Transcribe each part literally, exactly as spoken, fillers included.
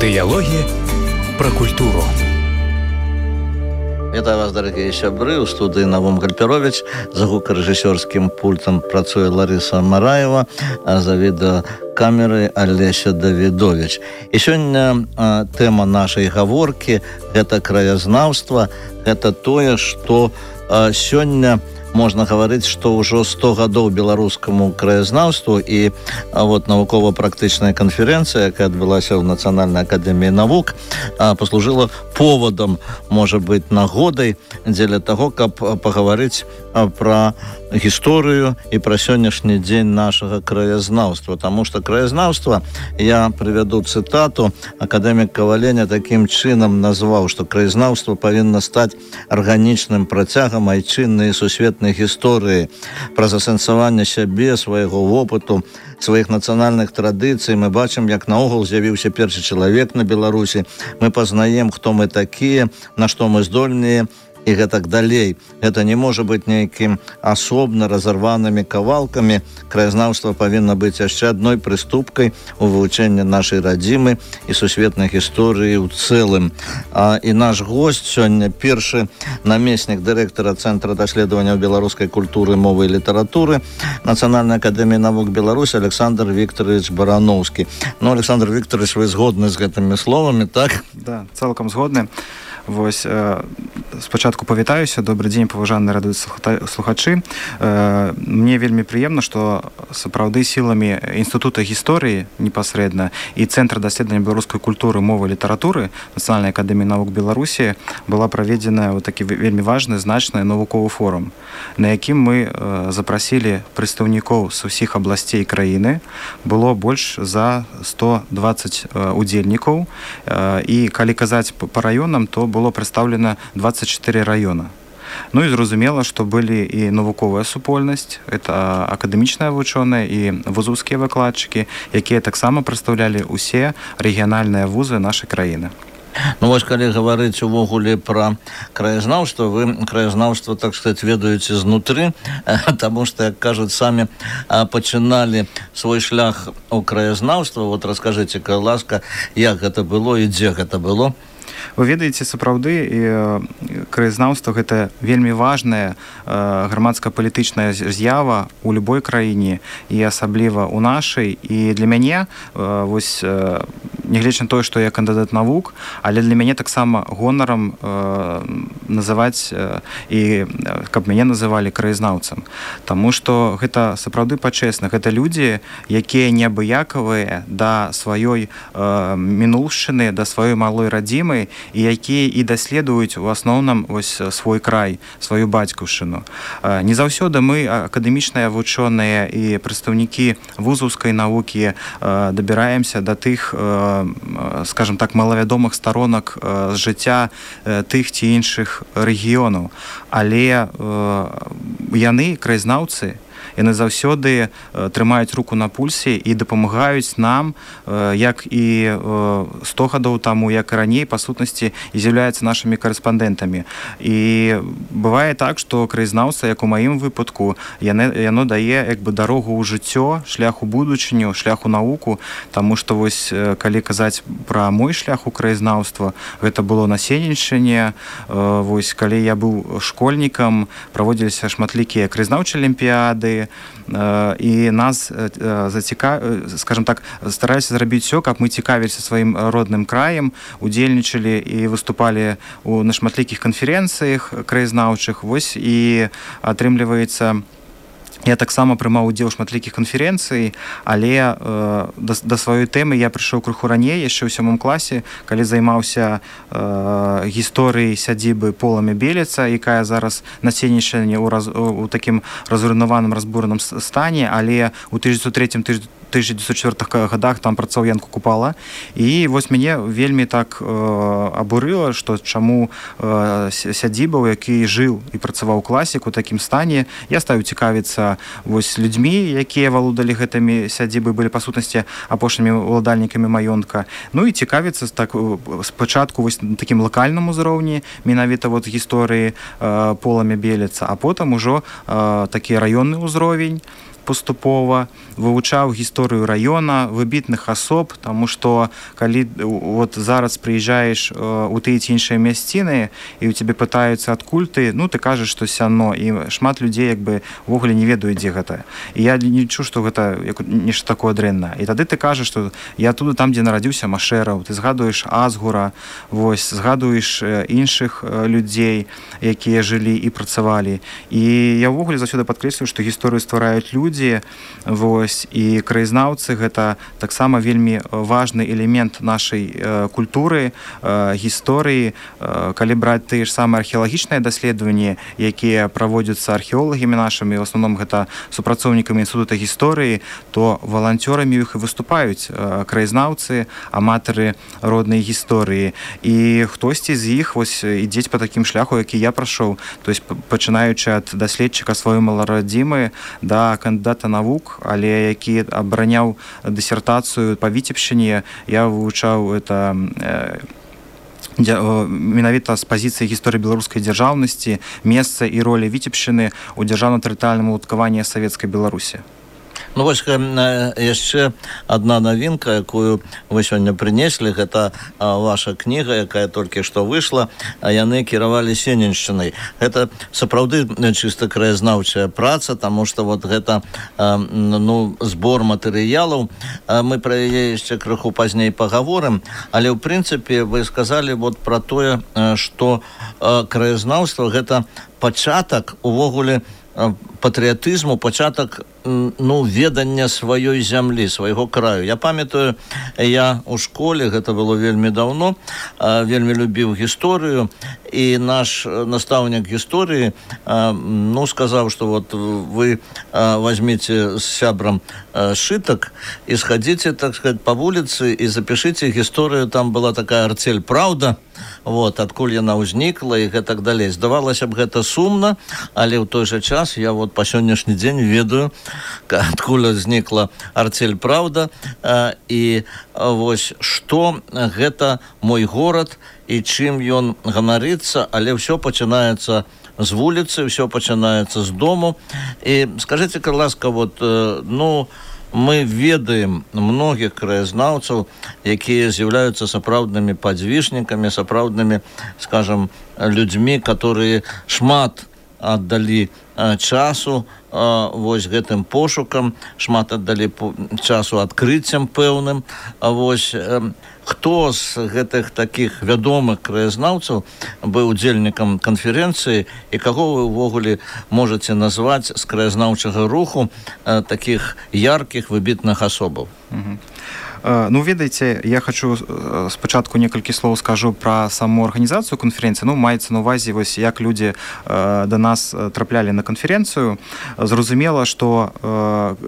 Дыялогі пра культуру. Вітаю вас, дарагія сябры. У студыі Навум Гальперович. За гукарэжысёрскім пультам працуе Ларыса Мараева, а за відэакамерай Алеся Давідович. І сёння а, тэма нашай гаворкі – гэта краязнаўства, гэта тое, што а, сёння можна гаварыць, што ўжо сто гадоў беларускаму краязнаўству, і а, вот навукова-практычная канферэнцыя, якая адбылася ў Нацыянальнай акадэміі навук, а, паслужыла поводам, можа быць, нагодай дзеля таго, каб пагаварыць а, пра гісторыю і пра сённяшні дзень нашага краязнаўства. Таму што краязнаўства, я прывяду цытату, акадэмік Каваленя такім чынам назваў, што краязнаўства павінна стаць арганічным працягам айчыннай сусветнай гісторыі, праз асэнсаванне сябе, свайго вопыту, сваіх нацыянальных традыцый. Мы бачым, як наогул з'явіўся першы чалавек на Беларусі. Мы пазнаем, хто мы такія, на што мы здольныя, і гэтак далей. Гэта не можа быць нейкім асобна разарванымі кавалкамі. Краязнаўства павінна быць яшчэ адной прыступкай у вывучэнні нашай радзімы і сусветнай гісторыі ў цэлым. А, і наш госць сёння першы намеснік дырэктара Цэнтра даследаванняў беларускай культуры, мовы і літаратуры Нацыянальнай акадэміі навук Беларусі Александр Вікторович Барановскі. Ну, Александр Вікторович, вы згодны з гэтымі словамі, так? Да, цалкам згодны. Вось, э, спачатку павітаюся. Добры дзень, паважаныя радыёслухачы. Э, мне вельмі прыемна, што сапраўды сіламі Інстытута гісторыі непасрэдна і Цэнтра даследавання беларускай культуры, мовы і літаратуры Нацыянальнай акадэміі навук Беларусі была праведзена вот такі вельмі важны, значны навуковы форум, на якім мы э, запрасілі прадстаўнікоў з усіх абласцей краіны. Было больш за сто дваццаць э, удзельнікаў, э, і калі казаць па раёнам, то было прадстаўлена дваццаць чатыры раёна. Ну і зразумела, што былі і навуковая супольнасць, это акадэмічныя вучоныя і вузаўскія выкладчыкі, якія таксама прадстаўлялі усе рэгіянальныя вузы нашай краіны. Ну вось, калі гаварыць увогуле пра краязнаўства, вы краязнаўства, так сказаць, ведаеце знутры, таму што, як кажуць, самі пачыналі свой шлях у краязнаўства. Вот раскажыце, калі ласка, як гэта было і дзе гэта было? Вы ведаеце, сапраўды, краязнаўства – гэта вельмі важная грамадска-палітычная з'ява ў любой краіне, і асабліва ў нашай. І для мяне, вось, нягледзячы на тое, што я кандыдат навук, але для мяне таксама гонарам называць, і каб мяне называлі краязнаўцам. Таму што гэта сапраўды пачэсна. Гэта людзі, якія неабыякавыя да сваёй мінуўшчыны, да сваёй малой радзімы, і якія і даследуюць у асноўным вось свой край, сваю бацькаўшчыну. Не заўсёды мы, акадэмічныя вучоныя і прадстаўнікі вузаўскай навукі, дабіраемся да тых, скажем так, малавядомых сторонак з жыцця тых ці іншых рэгіёнаў. Але яны, краязнаўцы, яны заўсёды трымаюць руку на пульсе і дапамагаюць нам, як і сто гадоў таму, як і раней, па сутнасці, і з'яўляюцца нашымі карэспандэнтамі. І бывае так, што краязнаўца, як у маім выпадку, яно, яно дае як бы дарогу ў жыццё, шлях у будучыню, шлях у навуку, таму што вось, калі казаць пра мой шлях у краязнаўства, гэта было на Сенеччыне. Вось, калі я быў школьнікам, праводзіліся шматлікія краязнаўчыя алімпіяды, і нас зацікав... скажем так, стараліся зрабіць усё, каб мы цікавіліся сваім родным краем, удзельнічалі і выступалі у на шматлікіх канферэнцыях краязнаўчых. Вось, і атрымліваецца, я таксама прымаў удзел у шматлікіх канферэнцый, але э, да, да сваёй тэмы я прыйшоў крыху раней, яшчэ ў сёмым класе, калі займаўся э, гісторыяй сядзібы Поламя Белеца, якая зараз на Сенеччыне ў, раз, у такім разруйнаваным, разбураным стане, але ў тысяча дзевяцьсот трэцім — тысяча дзевяцьсот чвёртым годах там працаваў Ян Купала. І вось мяне вельмі так э, абурыла, што чаму э, сядзіба, у якій жыў і працаваў класік у такім стане. Я стаў цікавіцца вось людзьмі, якія валодалі гэтымі сядзібы, былі па сутнасці апошнімі уладальнікамі маёнтка. Ну і цікавіцца так спачатку вось на такім лакальным узроўні, менавіта вот гісторыі э, Поламя Белеца, а потым ужо э, такі раённы ўзровень. паступова, вывучаў гісторыю раёна, выбітных асоб, таму што калі вот зараз прыязджаеш у тыя ці іншыя мясціны і ў цябе пытаюцца адкуль ты, ну ты кажаш, што сяно, і шмат людзей як бы увогуле не ведаюць, дзе гэта. І я не лічу, што гэта нешта такое дрэннае. І тады ты кажаш, што я туды там, дзе нарадзіўся Машэраў, ты згадуеш Азгура, вось, згадуеш іншых людзей, якія жылі і працавалі. І я ўвогуле заўсёды падкрэсліваю, што гісторыю ствараюць людзі, вось, і краязнаўцы гэта таксама вельмі важны элемент нашай э, культуры, э, гісторыі. Э, калі браць тыя ж самыя археалагічныя даследаванні, якія праводзяцца археолагамі нашымі, в асноўным гэта супрацоўнікамі інстытута гісторыі, то валанцёрамі іх і выступаюць э, краязнаўцы, аматары роднай гісторыі. І хтосьці з іх вось ідзець па такім шляху, які я прайшоў, то есть пачынаючы ад даследчыка сваёй маладзімы да кандыдата навук, але які абараняў дысертацыю па Віцебшчыне, я вывучаў это э, менавіта з пазіцыі гісторыі беларускай дзяржаўнасці, месца і ролі Віцебшчыны ў дзяржаўна-тэрытарыяльным уладкаванні Савецкай Беларусі. Ну вось яшчэ адна навінка, якую вы сёння прынеслі, гэта ваша кніга, якая толькі што выйшла, а яны кіравалі Сененшчынай. Гэта сапраўды чыста краязнаўчая праца, таму што вот гэта ну, збор матэрыялаў. Мы пра яе яшчэ крыху пазней пагаворым, але ў прынцыпе вы сказалі вот пра тое, што краязнаўства гэта пачатак увогуле патрыятызму, пачатак ну, ведання сваёй зямлі, свайго краю. Я памятаю, я ў школе, гэта было вельмі даўно, вельмі любіў гісторыю, і наш настаўнік гісторыі ну, сказаў, што вот вы возьмите с сябрам сшытак і сходите, так сказать, по вуліцы і запішыце гісторыю. Там была такая артель «Праўда», вот, адкуль яна ўзнікла і гэтак далей. Здавалася б, гэта сумна, але ў той жа час я вот па сённяшні дзень ведаю, адкуль узнікла артель «Праўда», і вось што гэта мой горад і чым ён ганарыцца, але ўсё пачынаецца з вуліцы, ўсё пачынаецца з дому. І скажыце, калі ласка, вот, ну, мы ведаем многіх краязнаўцаў, якія з'яўляюцца сапраўднымі падзвіжнікамі, сапраўднымі, скажем, людзьмі, которые шмат аддалі часу вось гэтым пошукам, шмат аддалі часу адкрыццям пэўным. Вось хто з гэтых такіх вядомых краязнаўцаў быў удзельнікам канферэнцыі і каго вы ўвогуле можаце назваць з краязнаўчага руху такіх яркіх выбітных асобаў? Ну, ведаеце, я хочу спачатку некалькі слоў скажу пра саму арганізацыю канферэнцыі. Ну, маецца на ўвазе, вось, як людзі да нас траплялі на канферэнцыю. Зразумела, што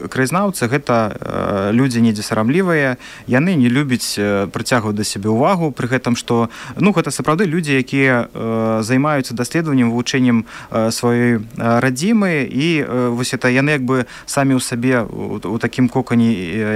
краязнаўцы – гэта людзі недзе сарамлівыя, яны не любяць прыцягваць да сябе ўвагу, пры гэтым, што, ну, гэта сапраўды людзі, якія займаюцца даследаваннем, вывучэннем сваёй радзімы, і вось это яны як бы самі ў сабе у такім кокане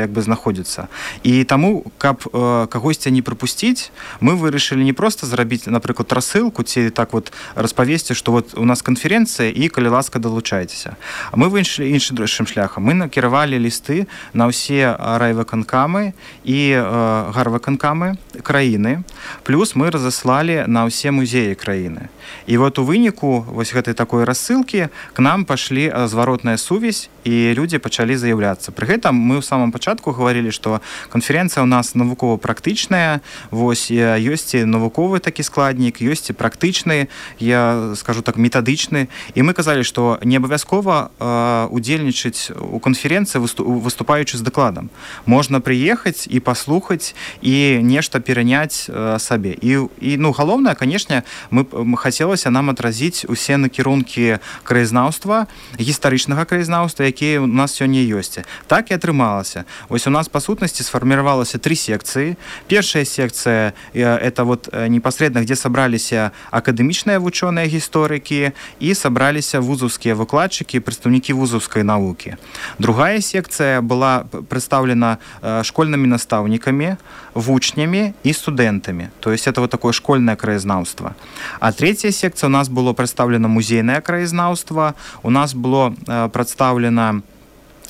як бы знаходзяцца. І таму, каб э, кагосьці не прапусціць, мы вырашылі не проста зрабіць, напрыклад, рассылку, ці так вот распавесці, што вот у нас канферэнцыя, і калі ласка, далучайцеся. А мы выйшлі іншым шляхам. Мы накіравалі лісты на ўсе райвыканкамы і э, гарвыканкамы краіны, плюс мы разаслалі на ўсе музеі краіны. І вот у выніку вось гэтай такой рассылкі к нам пашлі зваротная сувязь, і людзі пачалі заяўляцца. Пры гэтым мы ў самым пачатку гаварылі, што канферэнцыя ў нас навукова-практычная, вось ёсць і навуковы такі складнік, ёсць і практычны, я скажу так, метадычны. І мы казалі, што не абавязкова э, удзельнічаць у канферэнцыі, выступаючы з дакладам. Можна прыехаць і паслухаць і нешта пераняць э, сабе. І, і ну, галоўнае, канешне, мы, мы хацелася нам адразіць усе накірункі краязнаўства, гістарычнага краязнаўства, якія у нас сёння ёсць. Так і атрымалася. Вось у нас, па сутнасці, сфарміравалася три секцыі. Першая секцыя – это вот непасрэдна, где сабраліся акадэмічныя вучоныя гісторыкі і сабраліся вузаўскія выкладчыкі, прадстаўнікі вузаўскай навукі. Другая секцыя была прадстаўлена школьнымі настаўнікамі, вучнямі і студэнтамі. То есть это вот такое школьнае краязнаўства. А третья секцыя у нас было прадстаўлена музейнае краязнаўства, у нас было прадстаўлена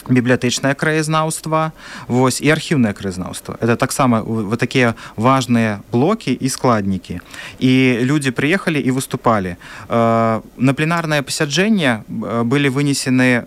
бібліятэчнае краязнаўства, вось, і архіўнае краязнаўства. Это таксама вот такія важныя блокі і складнікі. І людзі прыехалі і выступалі. На пленарнае пасяджэнне былі вынесены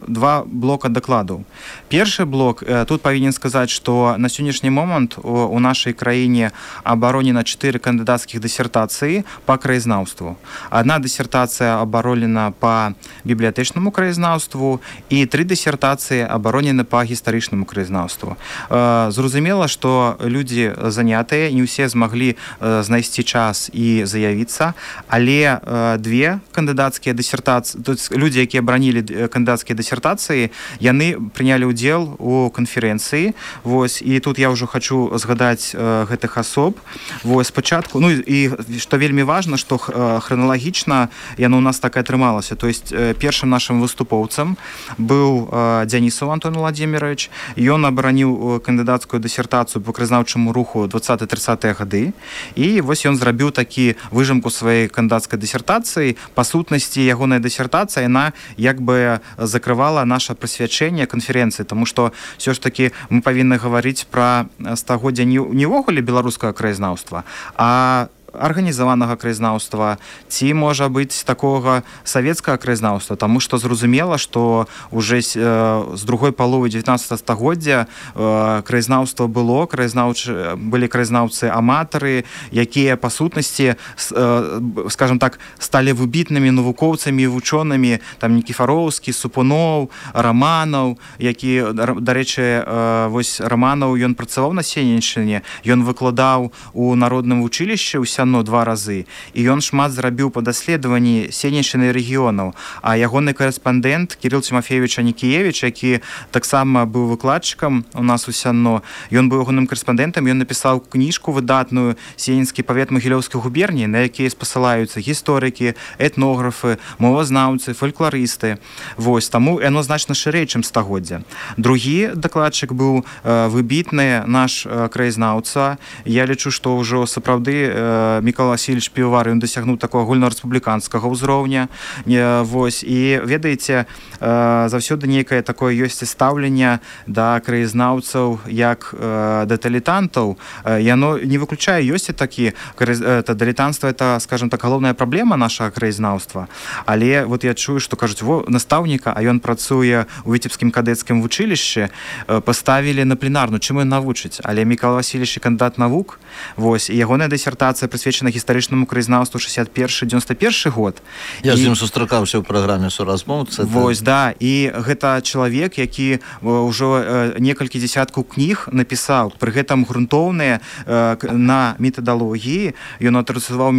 два блока дакладаў. Першы блок, тут павінен сказаць, што на сённяшні момант у нашай краіне абаронена чатыры кандыдацкіх дысертацыі па краязнаўству. Адна дысертацыя абаронена па бібліятэчнаму краязнаўству і тры дысертацыі абаронены па гістарычнаму краязнаўству. Зразумела, што людзі занятыя, не ўсе змаглі знайсці час і заявіцца, але две кандыдацкія дысертацыі, людзі, якія абаранілі кандыдацкія дысертацыі, яны прынялі ўдзел у канферэнцыі. Вось, і тут я ўжо хачу згадаць гэтых асоб. Вось, спачатку, ну і што вельмі важна, што храналагічна яно ў нас так і атрымалася. То есть першым нашым выступоўцам быў Дзянісаў Антон Владимирович. Ён абараніў кандыдацкую дысертацыю па краязнаўчаму руху дваццатыя-трыццатыя гады. І вось ён зрабіў такі выжымку сваёй кандыдацкай дысертацыі. Па сутнасці, ягоная дысертацыя, яна як бы закрывала наша прысвячэнне канферэнцыі, таму што ўсё ж такі мы павінны гаварыць пра стагоддзя не ўвогуле беларускага краязнаўства, а арганізаванага краязнаўства, ці, можа быць, такога савецкага краязнаўства, таму што зразумела, што уже з другой паловы дзевятнаццатага стагоддзя краязнаўства было, краязнаўчы, былі краязнаўцы-аматары, якія, па сутнасці, скажам так, сталі выбітнымі навукоўцамі і вучонымі, там Нікіфароўскі, Супуноў, Раманаў, які, дарэчы, вось Раманаў, ён працаваў на Сенеччыне, ён выкладаў у народным вучылішчы ў Сяно два разы, і ён шмат зрабіў па даследаванні Сенеччыны рэгіёнаў. А ягоны карэспандэнт Кірыл Тимофеевич Анікіевич, які таксама быў выкладчыкам у нас у Сяно, ён быў ягоным карэспандэнтам, ён напісаў кніжку выдатную «Сенецкі павет Магілёўскай губерніі», на якія спасылаюцца гісторыкі, этнографы, мовазнаўцы, фалькларысты. Вось, таму яно значна шырэй, чым стагоддзя. Другі дакладчык быў выбітны наш краязнаўца. Я лічу, што ўжо сапраўды Мікола Васильевич Півовар, ён дасягнуў такого агульнарэспубліканскага ўзроўня. Вось, і ведаеце, заўсёды нейкае такое ёсць стаўленне да краязнаўцаў як да дылетантаў. Яно не выключае, ёсць такі, дылетантства — это, скажем так, галоўная праблема нашага краязнаўства. Але вот я чую, што кажуць, во, настаўніка, а ён працуе ў Віцебскім кадэцкім вучылішчы, паставілі на пленарну, чым ён навучыць. Але Мікола Васильевич кандыдат навук, вось, і ягоная дысертацыя прысвечана гістарычнаму краязнаўству шэсцьдзесят першы — дзевяносто першы год. Я і... з ім сустракаўся ў праграме «Суразмоўцы». Вось, да, і гэта чалавек, які ўжо некалькі дзесяткаў кніг напісаў, пры гэтым грунтоўныя на метадалогіі. Ён атрасаваў,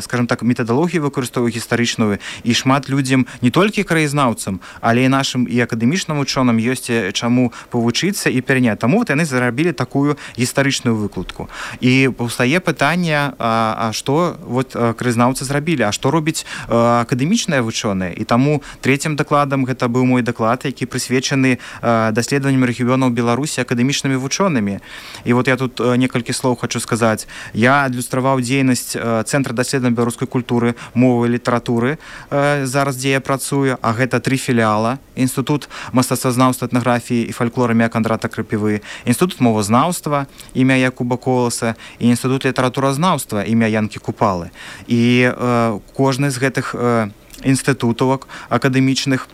скажем так, метадалогію выкарыстоўваў гістарычную, і шмат людзям, не толькі краязнаўцам, але і нашым і акадэмічным учоным ёсць чаму павучыцца і пераняць. Таму вот яны зарабілі такую гістарычную выкладку. І паўстае пытанне, а, а што вот краязнаўцы зрабілі, а што робіць акадэмічныя вучоныя. І таму трэцім дакладам гэта быў мой даклад, які прысвечаны даследаванням рэгіёнаў Беларусі акадэмічнымі вучонымі. І вот я тут некалькі слоў хочу сказаць. Я адлюстраваў дзейнасць Цэнтра даследавання беларускай культуры, мовы і літаратуры, зараз дзе я працую, а гэта тры філіала: Інстытут мастацтвазнаўства, этнаграфіі і фальклора імя Кандрата Крапівы, Інстытут мовазнаўства імя Якуба Коласа і Інстытут літаратуразнаўства імя Янкі Купалы. І э, кожны з гэтых э, інстытутаў акадэмічных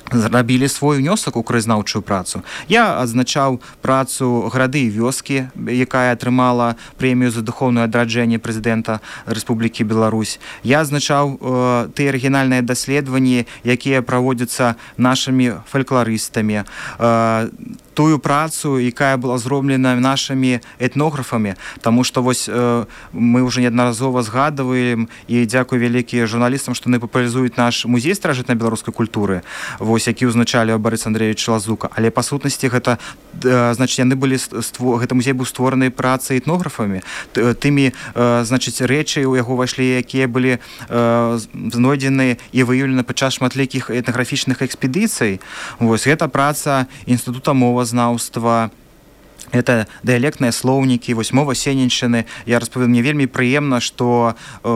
зрабілі свой унёсак у краязнаўчую працу. Я адзначаў працу «Грады і вёскі», якая атрымала прэмію за духоўнае адраджэнне прэзідэнта Рэспублікі Беларусь. Я адзначаў э, тыя арыгінальныя даследаванні, якія праводзяцца нашымі фалькларыстамі, э, тую працу, якая была зроблена нашымі этнографамі, таму што вось э, мы ўжо неаднаразова згадваем, і дзякуй вялікія журналістам, што яны папулярызуюць наш музей старажытнай беларускай культуры, вось, які ўзначалі Барыс Андреевич Лазука. Але па сутнасці гэта, э, значыць, яны былі ство... гэта музей быў створаны працай этнографамі, тымі, э, значыць, рэчы у яго ўвайшлі, якія былі э, знойдзены і выяўлены падчас шматлікіх этнаграфічных экспедыцый. Вось, гэта праца Інстытута мова знаўства, это дыялектныя слоўнікі, вось мова сененшчыны. Я распавёў, мне вельмі прыемна, што э,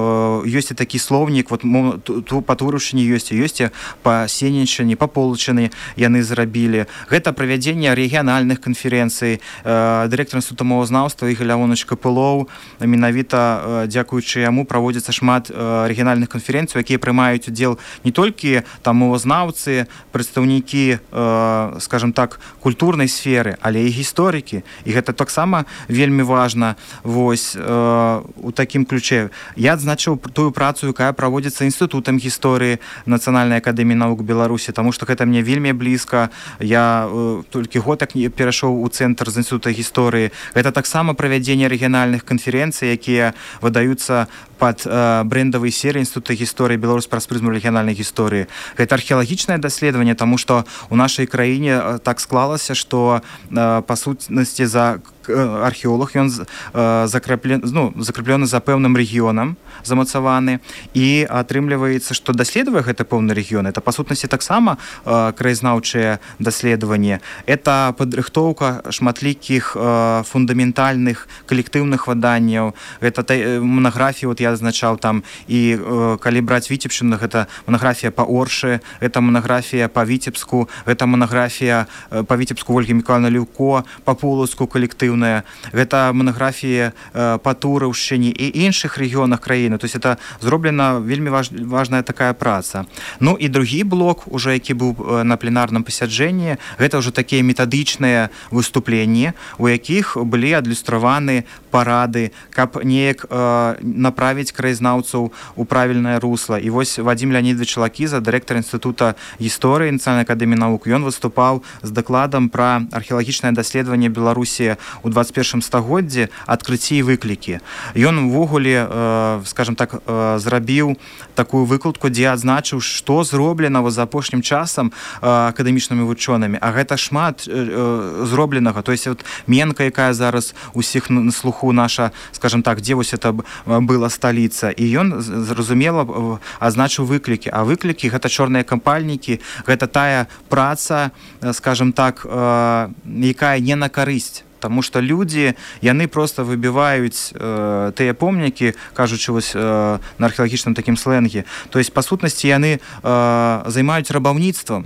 ёсць і такі слоўнік, вот ту па Турушчыне ёсць, ёсць па сененшчыне, па Полчыны яны зрабілі. Гэта правядзенне рэгіянальных канферэнцый. Э, дырэктар Інстытута мовазнаўства Ігор Леонович Капылоў, менавіта э, дзякуючы яму праводзіцца шмат э, рэгіянальных канферэнцый, якія прымаюць удзел не толькі там мовазнаўцы, прадстаўнікі, э, скажем так, культурнай сферы, але і гісторыкі. І гэта таксама вельмі важна. Вось э, у такім ключе я адзначыў тую працу, якая праводзіцца інстытутам гісторыі Нацыянальнай акадэміі навук Беларусі, таму што гэта мне вельмі блізка. Я э, толькі год так перайшоў у цэнтр з інстытута гісторыі. Гэта таксама правядзенне рэгіянальных канферэнцый, якія выдаюцца пад э, брэндавай серыі Інстытута гісторыі Беларусь праз прызму рэгіянальнай гісторыі. Гэта археалагічнае даследаванне, таму што у нашай краіне э, так склалася, што э, па сутнасці за археолог, ён э, закрэплен, ну, закрэплены за пэўным рэгіёнам, замацаваны, і атрымліваецца, што даследуе гэты пэўны рэгіён. Это па сутнасці таксама э, краязнаўчае даследаванне. Это падрыхтоўка шматлікіх э, фундаментальных калектыўных выданняў. Гэта э, монаграфіі, вот я азначаў там, і э, калі браць Віцебшчыну, гэта монаграфія па Оршы, гэта монаграфія па Віцебску, гэта монаграфія э, па Віцебску Ольгі Міколаївны Ліўко, па Полацку калектыў. Гэта монаграфія э, па Тураўшчыне і іншых рэгіёнах краіны. То есть это зроблена вельмі важ, важная такая праца. Ну і другі блок, уже які быў э, на пленарным пасяджэнні, гэта ўжо такія метадычныя выступленні, у якіх былі адлюстраваны парады, каб неяк э, направіць краязнаўцаў у правільнае русло. І вось Вадзім Леонидович Лакіза, дырэктар Інстытута гісторыі Нацыянальнай акадэміі навук, ён выступаў з дакладам пра археалагічнае даследаванне Беларусі у двадцать першым стагоддзі, адкрыцці і выклікі. Ён увогуле, э, скажем так, э, зрабіў такую выкладку, дзе адзначыў, што зроблена за апошнім часам э, акадэмічнымі вучонымі. А гэта шмат э, зробленага. То есть вот Менка, якая зараз усіх на слуху наша, скажем так, дзе вось это была сталіца. І ён, зразумела, адзначыў выклікі. А выклікі — гэта чорныя кампальнікі, гэта тая праца, скажем так, э, якая не на карысць. Таму што людзі, яны проста выбіваюць э, тыя помнікі, кажучы вось, э, на археалагічным такім слэнге. То есть, па сутнасці, яны э, займаюць рабаўніцтвам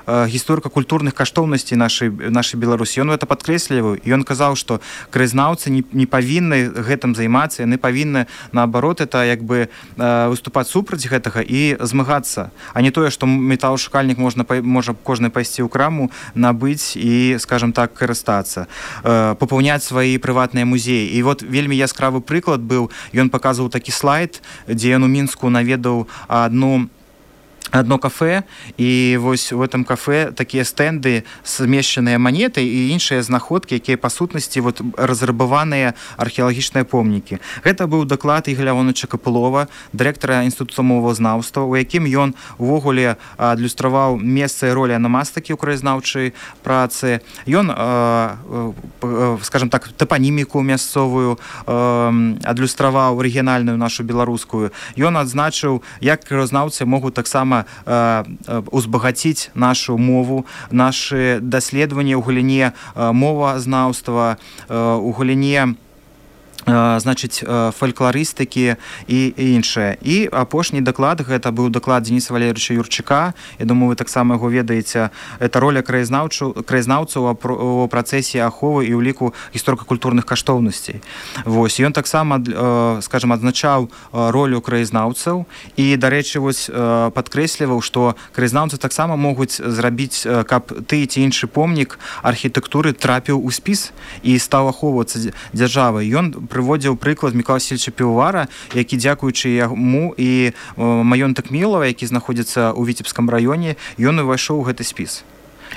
гісторыка-культурных каштоўнасцей нашай, нашай Беларусі. Ён гэта падкрэсліваў, і ён казаў, што краязнаўцы не, не павінны гэтым займацца, яны павінны, наадварот, это як бы выступаць супраць гэтага і змагацца, а не тое, што металашукальнік можна, можа кожны пайсці ў краму, набыць і, скажем так, карыстацца, папаўняць свае прыватныя музеі. І вот вельмі яскравы прыклад быў, ён паказваў такі слайд, дзе ён у Мінску наведаў адну одно кафе, і вось у этом кафе такія стэнды, змешчаныя манеты і іншыя знаходкі, якія па сутнасці вот разрабаваныя археалагічныя помнікі. Гэта быў даклад Ігоря Леоновича Капылова, дырэктара Інстытута мовазнаўства, у якім ён увогуле адлюстраваў месца і ролі анамастыкі ў краязнаўчай працы. Ён, скажем так, тапаніміку мясцовую адлюстраваў, рэгіянальную нашу беларускую. Ён адзначыў, як краязнаўцы могуць таксама узбагаціць нашу мову, нашы даследаванні ў галіне мовазнаўства, у галіне значыць, фалькларыстыкі і іншае. І апошні даклад, гэта быў даклад Дениса Валерьевича Юрчака. Я думаю, вы таксама яго ведаеце. Это роля краязнаўцаў у працэсе аховы і ўліку гісторыка-культурных каштоўнасцей. Вось. Ён таксама, скажем, адзначаў ролю краязнаўцаў і, дарэчы, вось падкрэсліваў, што краязнаўцы таксама могуць зрабіць, каб ты ці іншы помнік архітэктуры трапіў у спіс і стаў ахоўвацца дзяржавай. Ён прыводзіў прыклад Мікола Васильевича Півовара, які, дзякуючы яму і маёнтак Мілава, які знаходзіцца ў Віцебскім раёне, ён увайшоў у гэты спіс.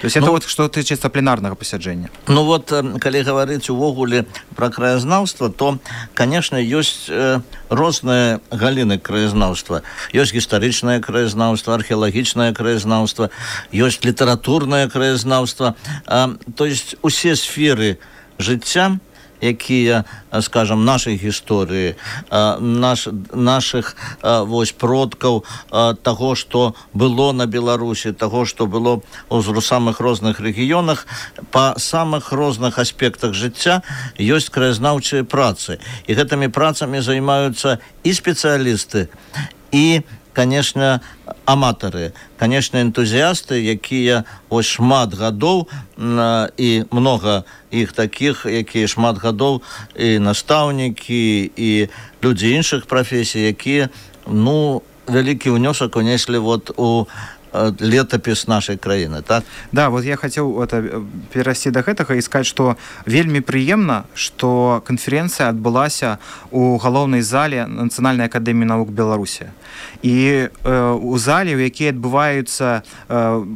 То есть ну, это вот што тычыцца пленарнага пасяджэння. Ну вот, калі гаварыць увогуле пра краязнаўства, то, конечно, ёсць э, розныя галіны краязнаўства. Ёсць гістарычнае краязнаўства, археалагічнае краязнаўства, ёсць літаратурнае краязнаўства. Э, то есть усе сферы жыцця, якія, скажем, нашай гісторыі, наш, наших вось продкаў, таго, што было на Беларусі, таго, што было у самых розных рэгіёнах, па самых розных аспектах жыцця ёсць краязнаўчыя працы. І гэтымі працамі займаюцца і спецыялісты, і, конечно, аматары, конечно, энтузіасты, якія ось шмат гадоў, і много іх такіх, якія шмат гадоў, і настаўнікі, і людзі іншых прафесій, якія, ну, вялікі ўнёсак унеслі вот у летопіс нашай краіны, так? Да, вот я хацеў это, перайсці да гэтага і сказаць, што вельмі прыемна, што канферэнцыя адбылася ў галоўнай зале Нацыянальнай акадэміі навук Беларусі. І э, у зале, у якій адбываюцца э,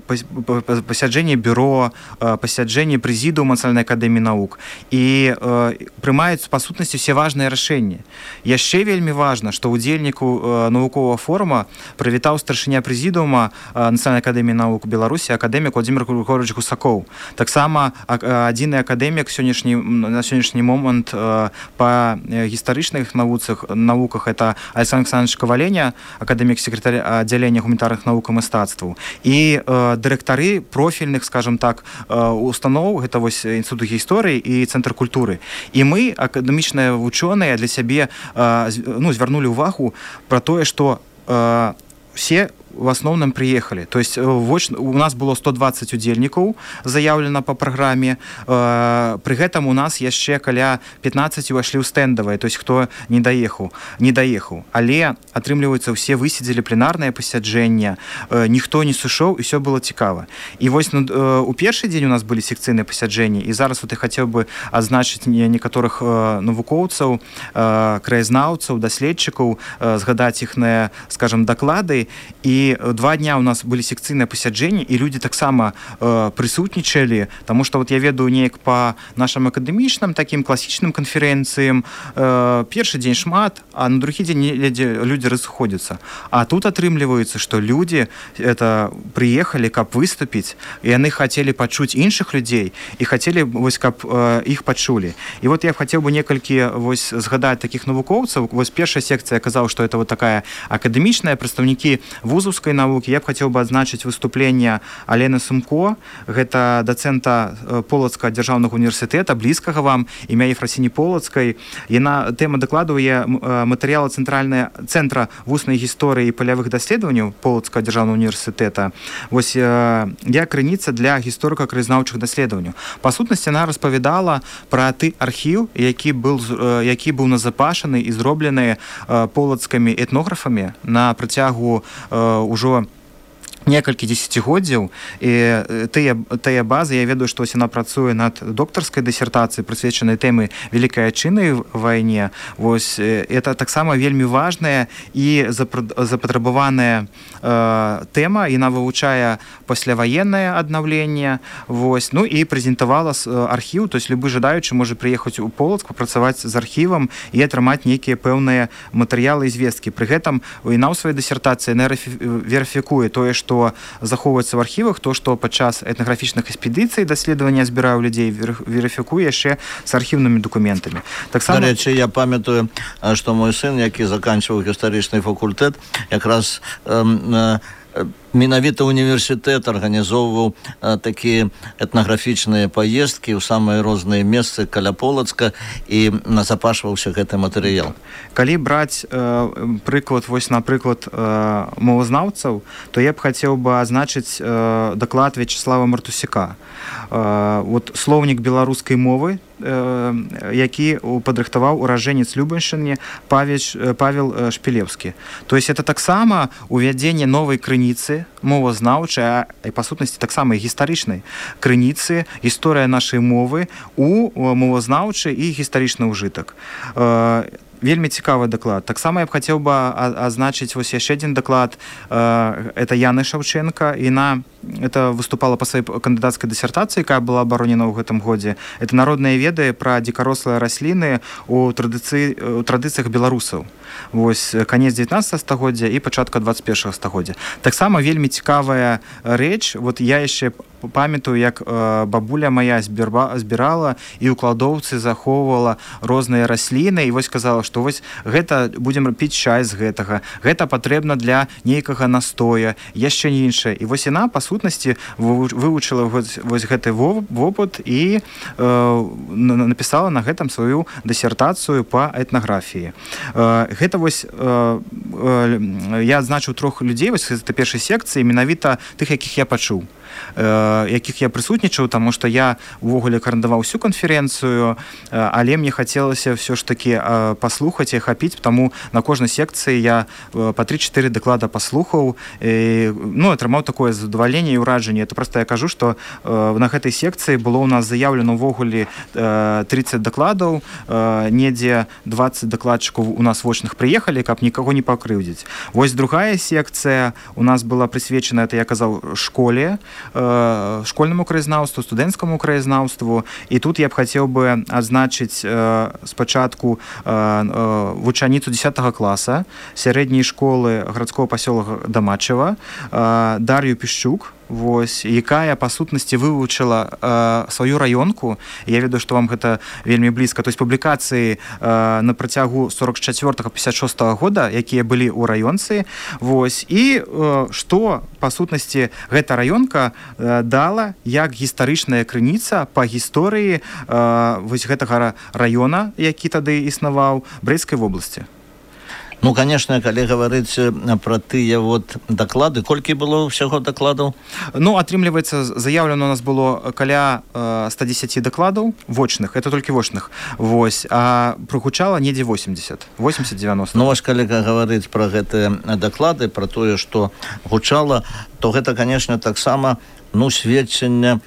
пасяджэнні бюро, э, пасяджэнні прэзідыума Нацыянальнай акадэміі навук, і э, прымаюцца па сутнасці ўсе важныя рашэнні. Яшчэ вельмі важна, што ўдзельніку э, навуковага форума прывітаў старшыня прэзідыума э, Нацыянальнай акадэміі навук Беларусі акадэмік Владзімир Григорович Гусакоў. Таксама адзіны акадэмік сённяшні, на сённяшні момант э, па гістарычных навуцах, навуках это Александр Александрович Коваленя, акадэмік сакратар аддзялення гуманітарных навук і мастацтваў. І э, дырэктары профільных, скажем так, э, устаноў, гэта вось Інстытут гісторыі і Цэнтр культуры. І мы, акадэмічныя вучоныя, для сябе э, ну, звярнулі ўвагу пра тое, што э, все в основном приехали. То есть у нас было сто двадцать удзельнікаў заяўлена по праграме. При гэтым у нас яшчэ каля пятнадцать увайшлі ў стэндавыя, то есть хто не даехаў, не даехаў. Але атрымліваецца, усе высидзелі пленарнае пасяджэнне, ніхто не сышоў, і все было цікава. І вось ну, у першы дзень у нас былі секцыйныя пасяджэнні, і зараз вот я хацеў бы адзначыць некаторых навукоўцаў, краязнаўцаў, даследчыкаў, згадаць іхныя, скажем, даклады. І два дня у нас былі секцыйныя пасяджэнні, і людзі таксама э, прысутнічалі, таму што вот я ведаю неяк па нашым акадэмічным такім класічным канферэнцыям, э, першы дзень шмат, а на другі дзень людзі, людзі разыходзяцца. А тут атрымліваецца, што людзі это прыехалі, каб выступіць, і яны хацелі пачуць іншых людзей, і хацелі, вось, каб э, іх пачулі. І вот я хацеў бы некалькі вось згадаць такіх навукоўцаў. Вось першая секцыя казаў, што это вот такая акадэмічная, прадстаўнікі вузаўскай навукі. Я б хацеў бы адзначыць выступленне Алены Сумко, гэта дацэнта Полацкага дзяржаўнага універсітэта, блізкага вам, імя Ефрасіні Полацкай. Яна тэма дакладу є матэрыялы цэнтральнага цэнтра вуснай гісторыі і палявых даследаванняў Полацкага дзяржаўнага універсітэта. Вось я крыніца для гісторыка-краязнаўчых даследаванняў. Па сутнасці, яна распавядала пра ты архіў, які быў, які быў назапашаны і зроблены полацкімі этнографамі на працягу ўжо некалькі дзесяцігоддзяў, і тыя, тыя базы, я ведаю, што яна працуе над доктарскай дысертацыяй, прысвечанай тэмы Вялікай Адчыннай вайне. Вось это таксама вельмі важная і запатрабаваная э, тэма, яна вывучае пасляваеннае аднаўленне. Вось. Ну і прэзентавала архіў, то есть любы жадаючы можа прыехаць у Полацк, папрацаваць з архівам і атрымаць нейкія пэўныя матэрыялы і звесткі. Пры гэтым яна ў сваёй дысертацыі верыфікуе тое, што захоўваецца в архівах, то, што падчас этнаграфічных экспедыцый даследавання збіраў людзей, верыфікуе яшчэ з архіўнымі дакументамі. Таксама... Дарэчы, я памятаю, што мой сын, які заканчваў гістарычны факультэт, якраз э, э, менавіта універсітэт арганізоўваў такія этнаграфічныя паездкі ў самыя розныя месцы каля Полацка, і назапашваўся гэты матэрыял. Калі браць э, прыклад, вось, напрыклад, э, мовазнаўцаў, то я б хацеў бы азначыць э, даклад Вячеслава Мартусяка. Э, вот слоўнік беларускай мовы, э, які падрыхтаваў ураджэнец Любаншчыны Павел Шпілеўскі. То есть это таксама увядзенне новай крыніцы мовазнаўчай, і па сутнасці таксама і гістарычнай крыніцы, гісторыя нашай мовы у мовазнаўчы і гістарычны ўжытак. Вельмі цікавы даклад. Таксама я б хацеў бы азначыць вось яшчэ адзін даклад. Это Яны Шаўчэнка. Яна это выступала па сваёй кандыдацкай дысертацыі, якая была абаронена ў гэтым годзе. Это народныя веды пра дзікарослыя расліны ў традыцыі, у традыцыях беларусаў. Вось канец дзевятнаццатага стагоддзя і пачатка дваццаць першага стагоддзя. Таксама вельмі цікавая рэч. Вот я яшчэ памятаю, як бабуля моя збірала і ў кладоўцы захоўвала розныя расліны і вось казала, што вось гэта будзем піць чай з гэтага, гэта патрэбна для нейкага настоя, яшчэ не іншае. І вось яна, па сутнасці, вывучыла вось, вось гэты вопыт і напісала на гэтым сваю дысертацыю па этнаграфіі. Гэта вось я адзначыў трох людзей, вось гэта першай секцыі, менавіта тых, якіх я пачуў, якіх я прысутнічаў, таму што я увогуле карандаваў усю канферэнцыю, але мне хацелася ўсё ж такі паслухаць і ахапіць, таму на кожнай секцыі я па тры-чатыры даклада паслухаў, ну, атрымаў такое задавальненне і ўражанне. Это проста я кажу, што на гэтай секцыі было ў нас заяўлена ўвогуле трыццаць дакладаў, недзе дваццаць дакладчыкаў у нас вочных прыехалі, каб нікаго не пакрыўдзіць. Вось другая секцыя у нас была прысвечана, это я казаў, школе, школьнаму краязнаўству, студэнцкаму краязнаўству. І тут я б хацеў бы адзначыць спачатку вучаніцу дзесятага класа сярэдняй школы гарадскога пасёлка Дамачева, Дар'ю Пішчук, вось, якая па сутнасці вывучыла э, сваю раёнку. Я ведаю, што вам гэта вельмі блізка. То есть публікацыі э, на працягу сорок чацвёртага - пятьдесят шостага года, якія былі ў раёнцы. Вось. І э, што па сутнасці гэта раёнка э, дала як гістарычная крыніца па гісторыі э, вось гэтага раёна, які тады існаваў, Брэсцкай вобласці. Ну, конечно, калі гаварыць пра тыя вот даклады, колькі было ўсяго дакладаў? Ну, атрымліваецца, заяўлена у нас было каля ста дзесяці дакладаў вочных, это толькі вочных, вось, а прагучала недзе восемьдесят, восемьдесят-девяносто. Ну, вось, калі гаварыць пра гэтыя даклады, пра тое, што гучала, то гэта, конечно, таксама, ну, сведчанне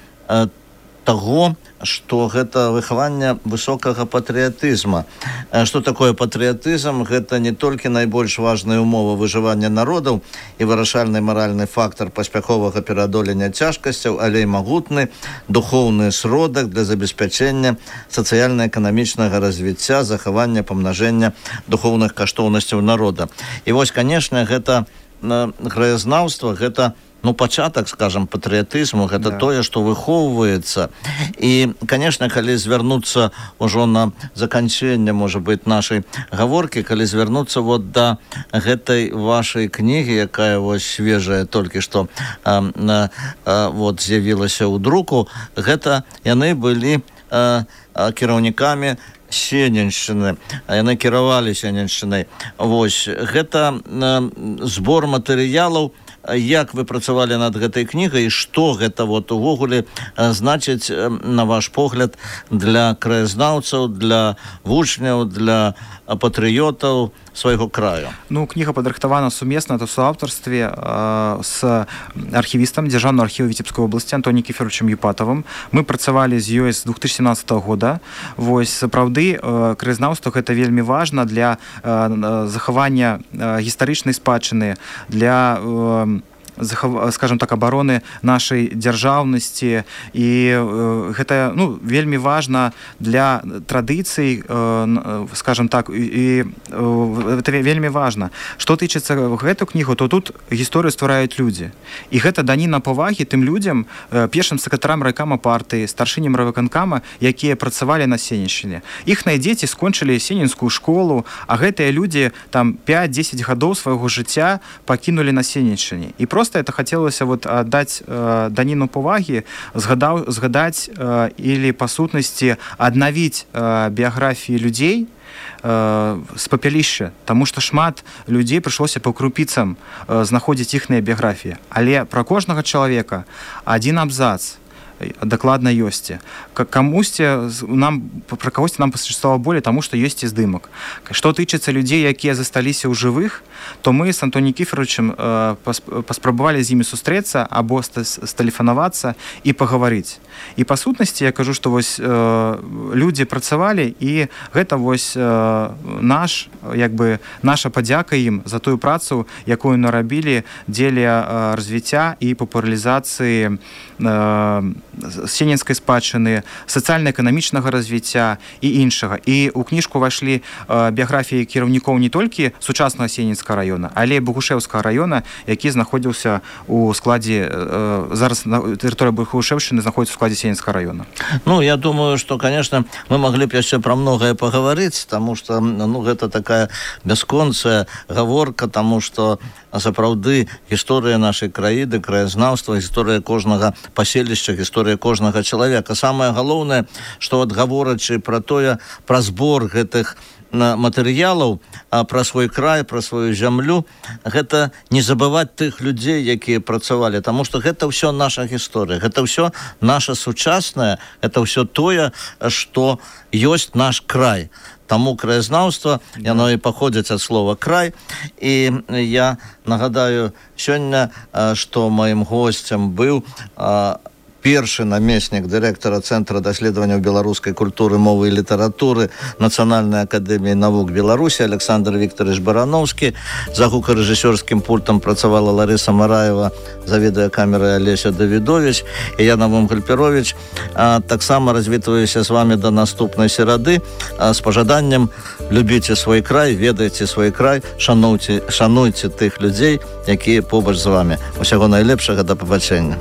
таго, што гэта выхаванне высокага патрыятызма. Што такое патрыятызм? Гэта не толькі найбольш важная умова выжывання народаў і вырашальны маральны фактар паспяховага пераадолення цяжкасцяў, але і магутны духоўны сродак для забеспячэння сацыяльна-эканамічнага развіцця, захавання, памнажэння духоўных каштоўнасцяў народа. І вось, канешне, гэта краязнаўства, гэта ну, пачатак, скажем, патрыятызму, гэта да. Тое, што выхоўваецца. І, конечно, калі звярнуцца ўжо на заканчэнне, можа быць, нашай гаворкі, калі звярнуцца вот да гэтай вашай кнігі, якая вось свежая толькі што а, а, а, вот з'явілася ў друку, гэта яны былі а, а, кіраўнікамі Сененшчыны, яны кіравалі Сененшчынай. Вось, гэта а, збор матэрыялаў. Як вы працавалі над гэтай кнігай і што гэта вот увогуле значыць, на ваш погляд, для краязнаўцаў, для вучняў, для патрыётаў свайго краю? Ну, кніга падрыхтавана сумесна, это ў суаўтарстве э, з архівістам Дзяржаўнага архіву Віцебскай вобласці Антоніем Кіферовичем Юпатавым. Мы працавалі з ёй з две тысячи семнадцатого года. Вось, сапраўды, э, краязнаўства гэта вельмі важна для э, захавання э, гістарычнай спадчыны, для э, скажем так, абароны нашай дзяржаўнасці, і гэта, ну, вельмі важна для традыцый, скажем так, і это вельмі важна. Што тычыцца гэту кнігу, то тут гісторыю ствараюць людзі, і гэта даніна павагі тым людзям, першым сакратарам райкама партыі, старшыням райвыканкама, якія працавалі на Сененшчыне. Іхныя дзеці скончылі сененскую школу, а гэтыя людзі там пять-десять гадоў свайго жыцця пакінулі на Сененшчыне. І просто это хацелася вот аддаць э, даніну павагі, згадаў, згадаць э, или па сутнасці аднавіць э, біяграфіі людзей э, з папялішча, таму што шмат людзей прыйшлося па крупіцам э, знаходзіць іхныя біяграфіі. Але пра кожнага чалавека адзін абзац дакладна ёсць. Камусьці нам, пра кагосьці нам пасуществовала болей, таму што ёсць і здымак. Што тычыцца людзей, якія засталіся ў жывых, то мы з Антоніем Кіферовичем э, паспрабавалі з імі сустрэцца або стэлефанавацца і пагаварыць. І па сутнасці я кажу, што вось э, людзі працавалі, і гэта вось э, наш, як бы, наша падзяка ім за тую працу, якую нарабілі дзеля э, развіцця і папулярызацыі э, сенінскай спадчыны, сацыяльна-эканамічнага развіцця і іншага. І ў кніжку ўвайшлі біяграфіі кіраўнікоў не толькі сучаснага Сенінскага раёна, але і Богушэўскага раёна, які знаходзіўся у складзе, зараз тэрыторыя Богушэўшчыны знаходзіцца ў складзе Сенінскага раёна. Ну, я думаю, что, конечно, мы могли бы яшчэ про многое поговорить, потому что, ну, гэта такая бясконцая гаворка, тому что сапраўды гісторыя нашай краіны, краязнаўства, гісторыя кожнага паселішча, гісторыя кожнага чалавека. Самае галоўнае, што от гаворачы пра тое, пра збор гэтых матэрыялаў, пра свой край, пра сваю зямлю, гэта не забываць тых людзей, якія працавалі, таму што гэта ўсё наша гісторыя, гэта ўсё наша сучаснае, гэта ўсё тое, што ёсць наш край. Таму краязнаўства, яно і паходзіць ад слова край. І я нагадаю сёння, што маім госцем быў першы намеснік дырэктара Цэнтра даследаванняў беларускай культуры, мовы і літаратуры Нацыянальнай акадэміі навук Беларусі Александр Викторович Барановскі. За гукарэжысёрскім пультам працавала Ларыса Мараева, за відэакамерай Алеся Давідович і я, Навум Гальперович. Таксама развітваюся з вами до наступнай серады з пажаданнем: любіце свой край, ведайце свой край, шануйце, шануйце тых людзей, якія побач з вами. Усяго найлепшага, да пабачэння.